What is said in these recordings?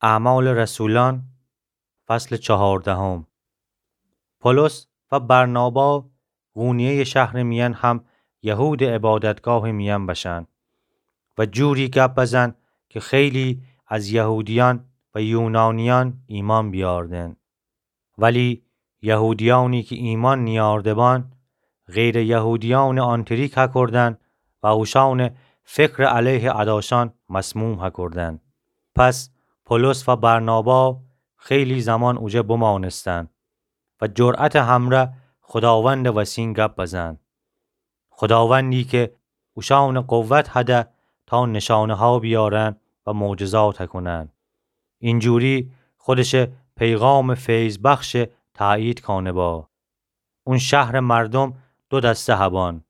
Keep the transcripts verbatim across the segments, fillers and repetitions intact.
اعمال رسولان، فصل چهاردهم. پولس و برنابا قونیهٔ شهرٚ میأن هم یهودٚ عبادتگاهٚ میأن بشن و جوری گب بزن که خیلی از یهودیأن و یونانیأن ایمأن بیاردن. ولی یهودیأنی که ایمأن نیأرده‌بان، غیرٚ یهودیأنٚ آنتریک هکردن و اوشأنٚ فکرٚ علیه اداشأن مسموم هکردن. پس پولس و برنابا خیلی زمان اوجه بمأنستن و جرأتٚ همرأ خوداوندٚ وسین گب بزن. خوداوندی که اوشأنٚ قوت هده تا نشانه‌ها بیارن و معجزات هکنن. اینجوری خودشٚ پیغامٚ فیض‌بخش تأیید کانه با. اون شهرٚ مردم دو دسته هبان.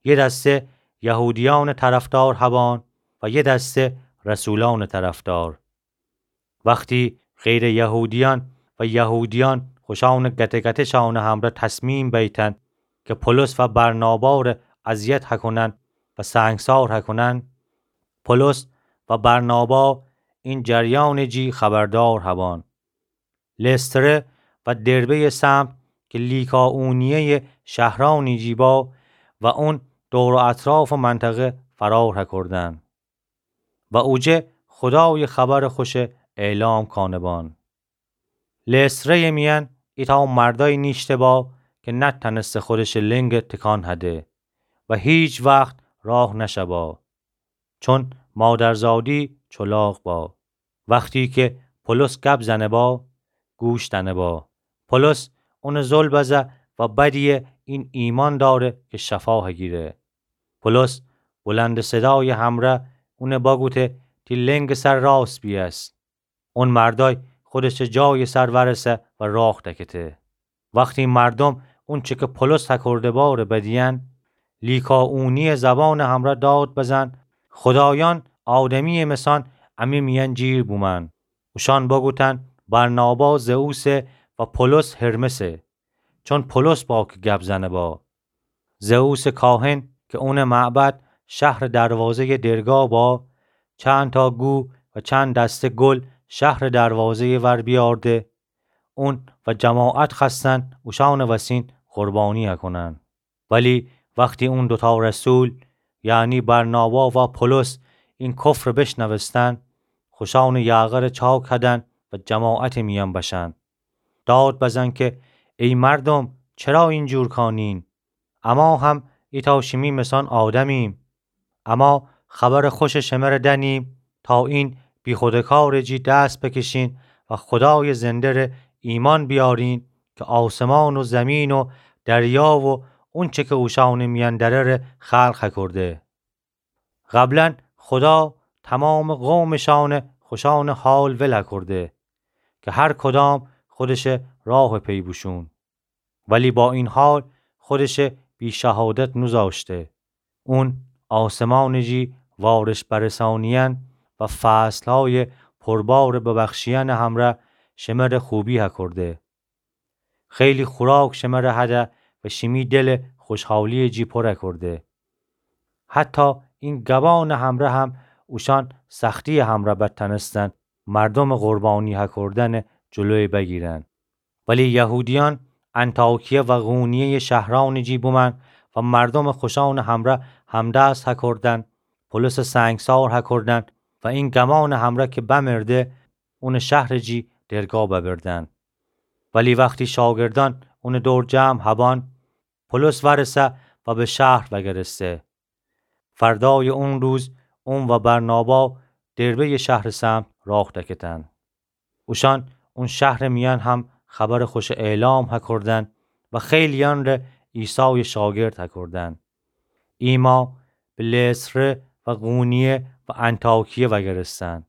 یه دسته یهودیأنٚ طرفدار هبان و یه دسته رسولأنٚ طرفدار. وختی غیرٚ یهودیأن و یهودیأن خوشأنٚ گته‌گته‌شأنٚ همرأ تصمیم بیتن که پولس و برنابا ره اذیت هکنن و سنگسار هکنن، پولس و برنابا این جریانٚ جی خبردار هبان. لستره و دربه‌یٚ سمت که لیکائونیه‌یٚ شهرأنی جی با و اون دور و اطرافٚ منطقه فرار هکردن و اوجه خودایٚ خبرٚ خوشه اعلام کانه بان. لستره‌یٚ میأن ایتأ مردای نیشته با که نتأنسته خودشٚ لنگ تکان هده و هیچ وخت راه نشه با، چون مادرزادی چلاق با. وختی که پولس گب زنه با، گوش دأنه با. پولس اون زل بزه و بدیه این ایمأن داره که شفا هگیره. پولس بلندٚ صدایٚ همرأ اون بگوته تی لنگٚ سر راست بیأس. اون مردای خودشٚ جایٚ سر ورسه و راه دکته. وختی مردم اونچه که پولس هکرده با ره بدیأن، لیکائونیٚ زبانٚ همرأ داد بزن: خودایأن آدمی‌یٚ مسأن امی میأن جیر بومأن. اوشأن بگوتن: برنابا زئوسه و پولس هرمسه، چون پولس با که گب زنه با. زئوسٚ کاهن که اونٚ معبد شهرٚ دروازه‌یٚ درگاه با، چندتا گو و چند دسته گل شهرٚ دروازه‌یٚ ور بیأرده. اون و جماعت خوأستن اوشأنٚ وسین قربانی هکنن. ولی وختی اون دوتا رسول، یعنی برنابا و پولس، این کفر بشنوستن، خوشأنٚ یاغر چاک هدن و جماعتٚ میأن بشن. داد بزن که: ای مردم، چرا اینجور کانین؟ اما هم ایتأ شیمی مسأن آدمیم. اما خبرٚ خوشٚ شمر دأنیم تا این بیخودٚ کارٚ جی دس بکشین و خودایٚ زنده ره ایمأن بیارین که آسمان و زمین و دریا و اونچه که اوشأنٚ میأن دره ره خلق هکرده. قبلا خودا تمامٚ قومٚ شأنٚ خوشأنٚ حال ول هکرده که هر کدام خودشٚ راه پی بوشون. ولی با این حال خودشٚ بی شهادت نوزاشته. اون آسمانٚ جی وارش برسانیأن و فصلهایٚ پربارٚ ببخشیأنٚ همرأ شمر خوبی هکرده. خیلی خوراک شمر هده و شیمی دل خوشحالیٚ جی پر هکرده. حتی این گبانٚ همرأ هم اوشأن سختیٚ همرأ بتأنستن مردمٚ قربانی هکردنٚ جلوی بگیرن. ولی یهودیأن انطاکیه و قونیه‌یٚ شهرأنٚ جی بومأن و مردمٚ خوشأنٚ همرأ همدست هکردن، پولسٚ سنگسار هکردن و این گمانٚ همرأ که بمرده، اونٚ شهرٚ جی درگاه ببردن. ولی وختی شاگردأن اونٚ دور جمع هبأن، پولس ورسه و به شهر وگرسته. فردایٚ اون روز اون و برنابا دربه‌یٚ شهرٚ سمت راه دکتن. اوشأن اون شهرٚ میأن هم خبرٚ خوشٚ اعلام هکردن و خیلیأن ره عیسایٚ شاگرد هکردن. ایمأ به لستره و قونیه و انطاکیه وگرستن.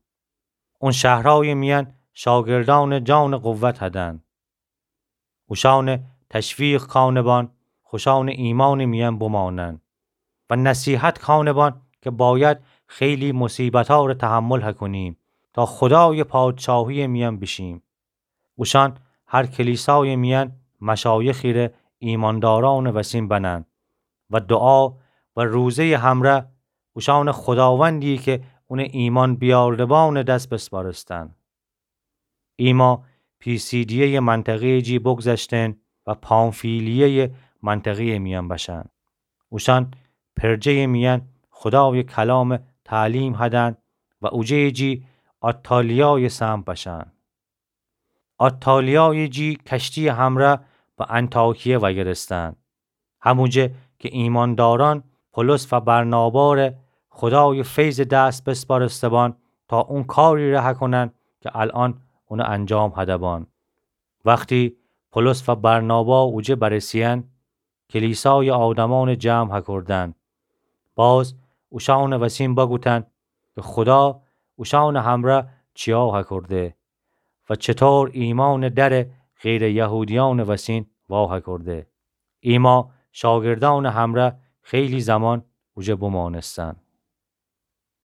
اون شهرأیٚ میأن شاگردأنٚ جانٚ قوت هدن. اوشأنٚ تشویق کانه بأن خوشأنٚ ایمأنٚ میأن بمأنن و نصیحت کانه بأن که باید خیلی مصیبتأ ره تحمل هکونیم تا خودایٚ پادشاهیٚ میأن بیشیم. اوشأن هر کلیسایٚ میأن مشایخی ره ایمأندارأنٚ وسین بنن و دوعا و روزه‌یٚ همرأ اوشأن خوداوندی که اونٚ ایمأن بیارده بأنٚ دس بسپارستن. ایما پیسیدیه‌یٚ منطقه‌یٚ جی بگذشتن و پامفیلیه‌یٚ منطقه‌یٚ میأن بشأن. اوشأن پرجه‌یٚ میأن خودایٚ کلامٚ تعلیم هدن و اوجه‌یٚ جی آتالیایٚ سمت بشأن. آتالیایٚ جی کشتییٚ همرأ به انطاکیه وأگرستن. هموجه که ایماندارأن پولس و برناباره خودایٚ فیضٚ دس بسپارسته‌بان تا اون کاریره هکونن که الأن اونه انجام هده‌بان. وختی پولس و برنابا اوجه برسه‌یأن، کلیسایٚ آدمأنٚ جمع هکردن. باز اوشأنٚ وسین بگوتن که خودا اوشأنٚ همرأ چیا هکرده و چطور ایمأنٚ درٚ غیرٚ یهودیأنٚ وسین وا هکرده. ایما شاگردأنٚ همرأ خیلی زمان اوجه بمأنستن.